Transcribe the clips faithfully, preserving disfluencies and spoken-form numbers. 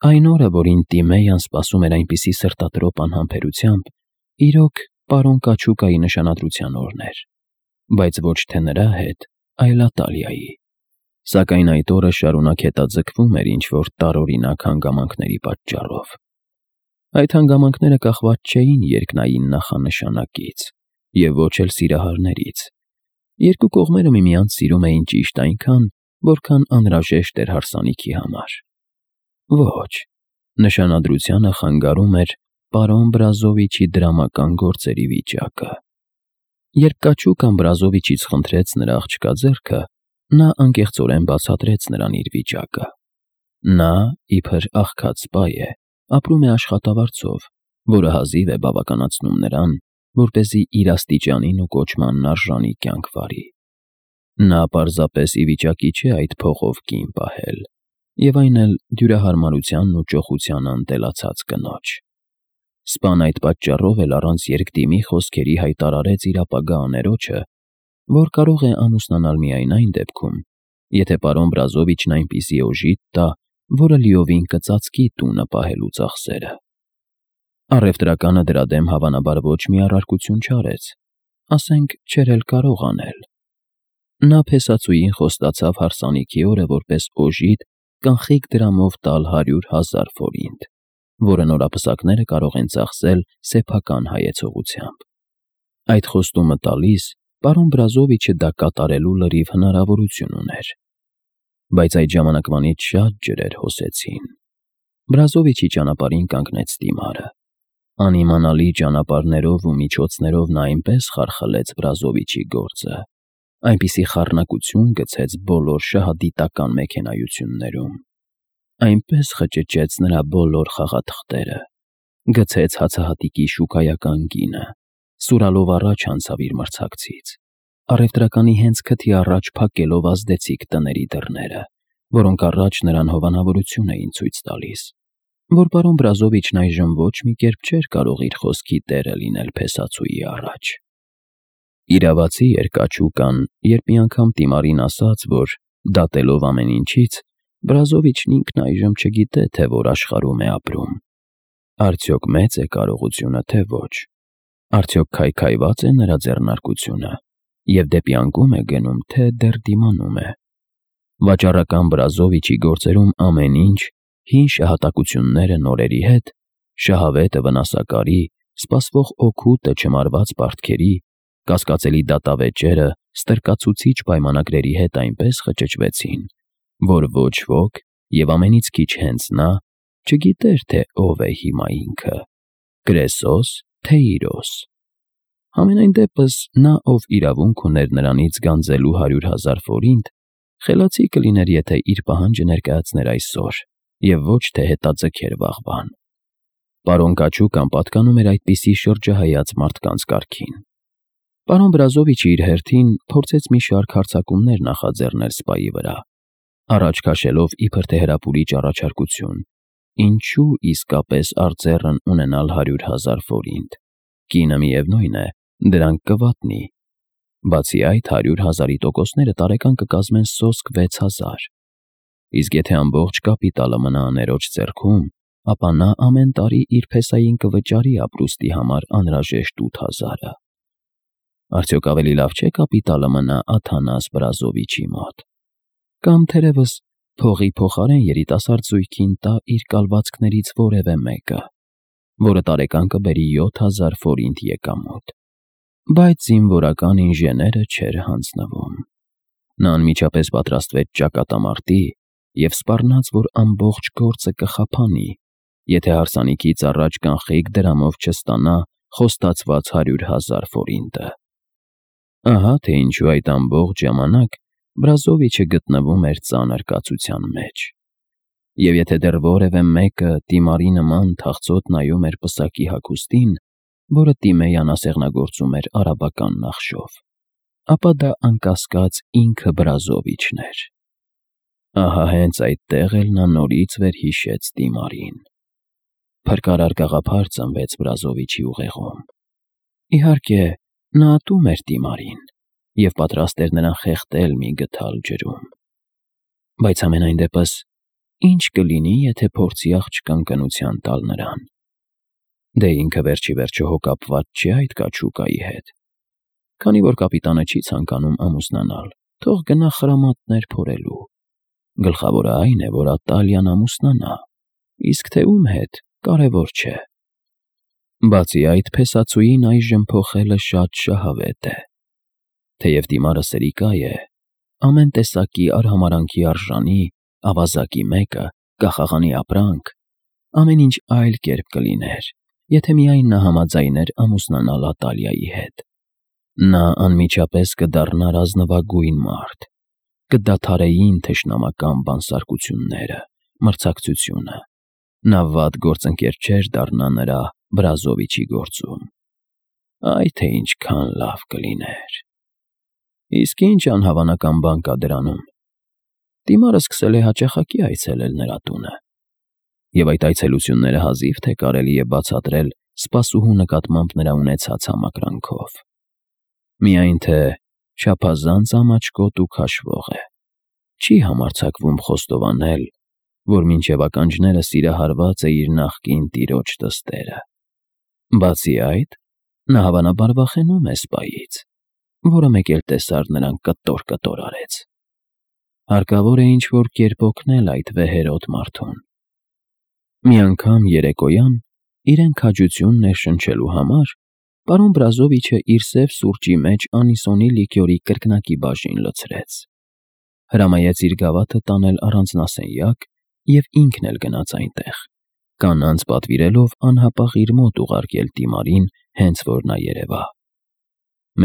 Այն օրը, որին Տիմեյան սպասում էր այնպիսի սրտատրոփ անհամբերությամբ, իրոք պարոն Կաչուկայի նշանադրության օրն էր, բայց ոչ թե նրա հետ, այլ Ատալիայի, սակայն այդ օրը շարունակ հետաձգվում էր ինչ-որ տարօրինակ հանգամանքների պատճառով։ Այդ հանգամանքները կախված չէին երկնային նախանշանակից և ոչ էլ սիրահարներից։ Երկու կողմերը միմյանց սիրում էին ճիշտ այնքան, որքան անհրաժեշտ էր հարսանիքի համար։ Ոչ, նշանադրությանը խանգարում էր պարոն Բրազովիչի դրամական գործերի վիճակը։ Երբ Կաչուկան Բրազովիչից խնդրեց նրա աղջկա ձեռքը, նա անկեղծորեն բացատրեց նրան իր վիճակը։ Նա, իբր աղքատ սպա է, ապրում է աշխատավարձով, որը հազիվ է բավականացնում նրան, որպեսզի իր աստիճանին ու կոչմանն արժանի կյանք վարի։ Նա պարզապես ի վիճակի չէ այդ փողով կին պահել, և այն էլ դյուրահարմարությանն ու ճոխությանը ընտելացած կնոջ։ Սպան այդ պատճառով էլ առանց երկդիմի խոսքերի հայտարարեց իր ապագա աներոջը, որ կարող է ամուսնանալ միայն այն դեպքում, եթե պարոն Բրազովիչն այնպիսի օժիտ տա, որը լիովին կծածկի տունը պահելու ծախսերը։ Առևտրականը դրա դեմ հավանաբար ոչ մի առարկություն չարեց, ասենք չէր էլ կարող անել։ Նա փեսացուին խոստացավ հարսանիքի օրը որպես օժիտ կանխիկ դրամով տալ հարյուր հազար ֆորինտ, որը նորապսակները կարող են ծախսել սեփական հայեցողությամբ։ Այդ խոստումը տալիս պարոն Բրազովիչը դա կատարելու լրիվ հնարավորություն ուներ։ Բայց այդ ժամանակվանից շատ ջրեր հոսեցին։ Բրազովիչի ճանապարհին կանգնեց Տիմարը։ Անիմանալի ճանապարհներով ու միջոցներով նա այնպես խարխլեց Բրազովիչի գործը, այնպիսի խառնակություն գցեց բոլոր շահադիտական մեքենայություններում, այնպես խճճեց նրա բոլոր խաղաթղթերը, գցեց հացահատիկի շուկայական գինը, սուրալով առաջ անցավ իր մրցակցից, առևտրականի հենց քթի առաջ փակելով ազդեցիկ տների դռները, որոնք առաջ նրան հովանավորություն էին ցույց տալիս, որ պարոն Բրազովիչն այժմ ոչ մի կերպ չէր կարող իր խոսքի տերը լինել փեսացուի առաջ։ Իրավացի էր Կաչուկան, երբ մի անգամ Տիմարին ասաց, որ դատելով ամեն ինչից, Բրազովիչն ինքն այժմ չգիտե, թե որ աշխարհում է ապրում։ Արդյոք մեծ է կարողությունը, թե ոչ։ Արդյոք քայքայված է նրա ձեռնարկությունը և դեպի անկում է գնում, թե դեռ դիմանում է։ Վաճառական Բրազովիչի գործերում ամեն ինչ, հին շահատակությունները նորերի հետ, շահավետը վնասակարի, սպասվող օգուտը չմարված պարտքերի, կասկածելի դատավեճերը ստրկացուցիչ պայմանագրերի հետ այնպես խճճվեցին, որ ոչ ոք, և ամենից քիչ հենց նա, չգիտեր, թե ով է հիմա ինքը՝ Կրեսոս, թե Իրոս։ Համենայն դեպս նա, ով իրավունք ուներ նրանից գանձելու հարյուր հազար ֆորինտ, խելացի կլիներ, եթե իր պահանջը ներկայացներ այսօր և ոչ թե հետաձգեր վաղվան։ Պարոն Կաչուկան պատկանում էր այդպիսի շրջահայաց մարդկանց կարգին։ Պարոն Բրազովիչը իր հերթին փորձեց մի շարք հարձակումներ նախաձեռնել սպայի վրա, առաջ քաշելով իբր թե հրապուրիչ առաջարկություն, ինչու իսկապես արծեռն ունենալ հարյուր հազար ֆորինտ, կինը միևնույն է, դրանք կվատնի։ Բացի այդ, հարյուր հազարի տոկոսները տարեկան կկազմեն սոսկ վեց հազար, իսկ եթե ամբողջ կապիտալը մնա աներոջ ձեռքում, ապա նա ամեն տարի իր փեսային կվճարի ապրուստի համար անհրաժեշտ ութ հազարը։ Արդյոք ավելի լավ չէ կապիտալը մնա Աթանաս Բրազովիչի մոտ, կամ թերևս փողի փոխարեն երիտասարդ զույգին տա իր կալվածքներից որևէ մեկը, որը տարեկան կբերի յոթ հազար ֆորինտ եկամուտ։ Բայց զինվորական ինժեները չէր հանձնվում։ Նա անմիջապես պատրաստվեց ճակատամարտի և սպառնաց, որ ամբողջ գործը կխափանի, եթե հարսանիքից առաջ կանխիկ դրամով չստանա խոստացված հարյուր հազար ֆորինտը։ Ահա թե ինչու այդ ամբողջ ժամանակ Բրազովիչը գտնվում էր ծանր կացության մեջ։ Եվ եթե դեռ որևէ մեկը Տիմարի նման թախծոտ նայում էր պսակի հագուստին, որը Տիմեյան ասեղնագործում էր արաբական նախշով, ապա դա անկասկած ինքը Բրազովիչն էր։ Ահա հենց այդտեղ էլ նա նորից վերհիշեց Տիմարին։ Փրկարար գաղափար ծնվեց Բրազովիչի ուղեղում։ Իհարկե, նա ատում էր Տիմարին և պատրաստ էր նրան խեղդել մի գդալ ջրում։ Բայց համենայն դեպս ինչ կլինի, եթե փորձի աղջկան կնության տալ նրան։ Դե ինքը վերջի վերջո հո կապված չի այդ կաչուկայի հետ։ Քանի որ կապիտանը չի ցանկանում ամուսնանալ, թող գնա խրամատներ փորելու։ Գլխավորը այն է, որ Ատալիան ամուսնանա, իսկ թե ում հետ, կարևոր չէ։ Բացի այդ, փեսացուին այժմ փոխելը շատ շահավետ է։ Թեև դիմարը սրիկա է, ամեն տեսակի արհամարանքի արժանի, ավազակի մեկը, կախաղանի ապրանք, ամեն ինչ այլ կերպ կլիներ, եթե միայն նա համաձայներ ամուսնանալ Ատալիայի հետ։ Նա անմիջապես կդառնար ազնվագույն մարդ, կդադարեին թշնամական բանսարկությունները, մրցակցությունը։ Նա վատ գործընկեր չէր դառնա նրա Բրազովիչի գործում։ Այ թե ինչքան լավ կլիներ։ Իսկ ինչ անհավանական բան կա դրանում։ Դիմարը սկսել է հաճախակի այցելել նրա տունը, և այդ այցելությունները հազիվ թե կարելի է բացատրել սպասուհու նկատմամբ նրա ունեցած համակրանքով։ Միայն թե չափազանց ամաչկոտ ու քաշվող է, չի համարձակվում խոստովանել, որ մինչև ականջները սիրահարված է իր նախկին տիրոջ դստերը։ Բացի այդ, նա հավանաբար վախենում է սպայից, որը մեկ էլ տեսար նրան կտոր-կտոր արեց։ Հարկավոր է ինչ-որ կերպ օգնել այդ վեհերոտ մարդուն։ Մի անգամ երեկոյան, իրեն քաջություն ներշնչելու համար, պարոն Բրազովիչը իր սև սուրճի մեջ անիսոնի լիկյորի կրկնակի բաժին լցրեց, հրամայեց իր գավաթը տանել առանձնասենյակ և ինքն էլ գնաց այնտեղ, կանանց պատվիրելով անհապաղ իր մոտ ուղարկել Դիմարին, հենց որ նա երևա։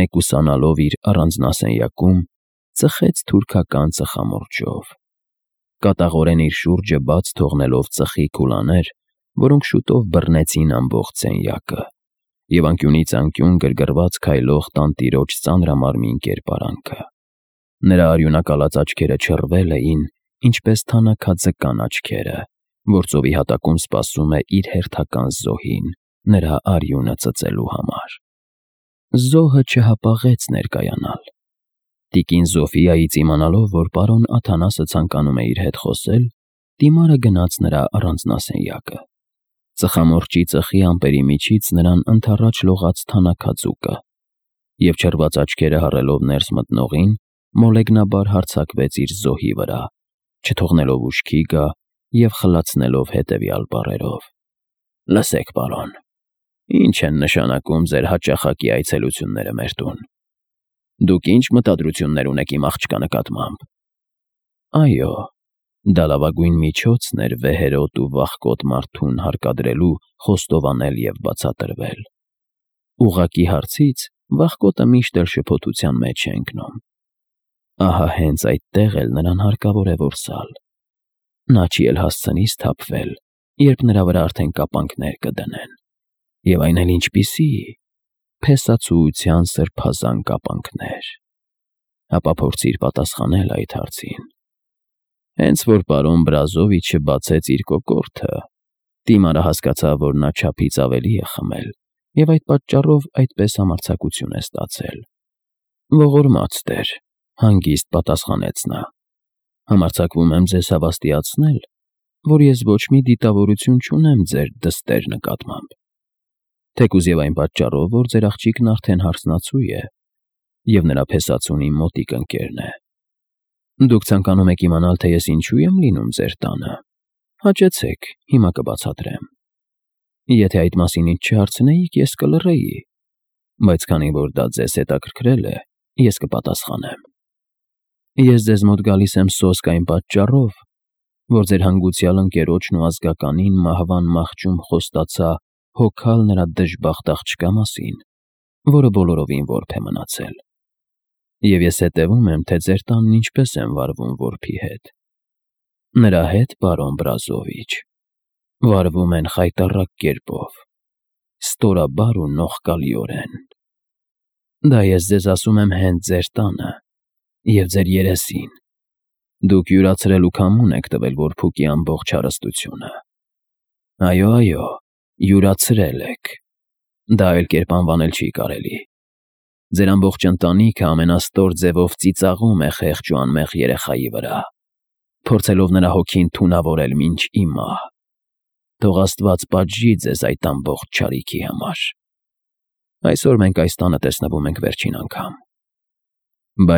Մեկուսանալով իր առանձնասենյակում, ծխեց թուրքական ծխամորճով, կատաղորեն իր շուրջը բաց թողնելով ծխի քուլաներ, որոնք շուտով բռնեցին ամբողջ սենյակը, և անկյունից անկյուն գրգռված քայլող տանտիրոջ ծանրամարմին կերպարանքը։ Նրա արյունակալած աչքերը չռվել էին, ինչպես թանաքաձկան աչքերը, որ ծովի հատակում սպասում է իր հերթական զոհին, նրա արյունը ծծելու համար։ Զոհը չհապաղեց ներկայանալ։ Տիկին Զոֆիայից իմանալով, որ պարոն Աթանասը ցանկանում է իր հետ խոսել, Դիմարը գնաց նրա առանձնասենյակը։ Ծխամորճի ծխի ամպերի միջից նրան ընդառաջ լողաց թանաքաձուկը, և չռված աչքերը հառելով ներս մտնողին, մոլեգնաբար հարձակվեց իր զոհի վրա, չթողնելով ուշքի գա և խլացնելով հետևյալ բառերով. «Լսեք, պարոն, ինչ են նշանակում ձեր հաճախակի այցելությունները մեր տուն։ Դուք ի՞նչ մտադրություններ ունեք իմ աղջկա նկատմամբ»։ Այո, դա լավագույն միջոցն էր վեհերոտ ու վախկոտ մարդուն հարկադրելու խոստովանել և բացատրվել։ Ուղղակի հարցից վախկոտը միշտ էլ շփոթության մեջ է ընկնում։ Ահա հենց այդտեղ էլ նրան հարկավոր է որսալ։ Նա չի էլ հասցնի սթափվել, երբ նրա վրա արդեն կապանքներ կդնեն, և այն էլ ինչպիսի, փեսացուության սրբազան կապանքներ։ Հապա փորձիր պատասխանել այդ հարցին։ Հենց որ պարոն Բրազովիչը բացեց իր կոկորդը, Դիմարը հասկացավ, որ նա չափից ավելի է խմել, և այդ պատճառով այդպես համարձակություն է ստացել։ Ողորմած տեր, հանգիստ պատասխանեց նա, համարձակվում եմ ձեզ հավաստիացնել, որ ես ոչ մի դիտավորություն չունեմ ձեր դստեր նկատմամբ, թեկուզ և այն պատճառով, որ ձեր աղջիկն արդեն հարսնացու է, և նրա փեսացուն իմ մոտիկ ընկերն է։ Դուք ցանկանում եք իմանալ, թե ես ինչու եմ լինում ձեր տանը։ Հաճեցեք, հիմա կբացատրեմ։ Եթե այդ մասին ինձ չհարցնեիք, ես կլռեի, բայց քանի որ դա ձեզ հետաքրքրել է, ես կպատասխանեմ։ Ես ձեզ մոտ գալիս եմ սոսկ այն պատճառով, որ ձեր հանգուցյալ ընկերոջն ու ազգականին մահվան մահճում խոստացա հոգալ նրա դժբախտ աղջկա մասին, որը բոլորովին որբ է մնացել։ Եվ ես հետևում եմ, թե ձեր տանն ինչպես են վարվում որբի հետ։ Նրա հետ, պարոն Բրազովիչ, վարվում են խայտառակ կերպով, ստորաբար ու նողկալիորեն։ Դա ես ձեզ ասում եմ հենց ձեր տանը և ձեր երեսին։ Դուք յուրացրել ու քամուն եք տվել որբուկի ամբողջ հարստությունը։ Այո, այո, յուրացրել եք։ Դա այլ կերպ անվանել չի կարելի։ Ձեր ամբողջ ընտանիքը ամենաստոր ձևով ծիծաղում է խեղճ ու անմեղ երեխայի վրա։ փորձելով նրա հոգին թունավորել մինչ ի մահ։ Թող աստված պատժի ձեզ այդ ամբողջ չարիքի համար։ Այսօր մենք այս տանը տեսնվում ենք վերջին անգամ։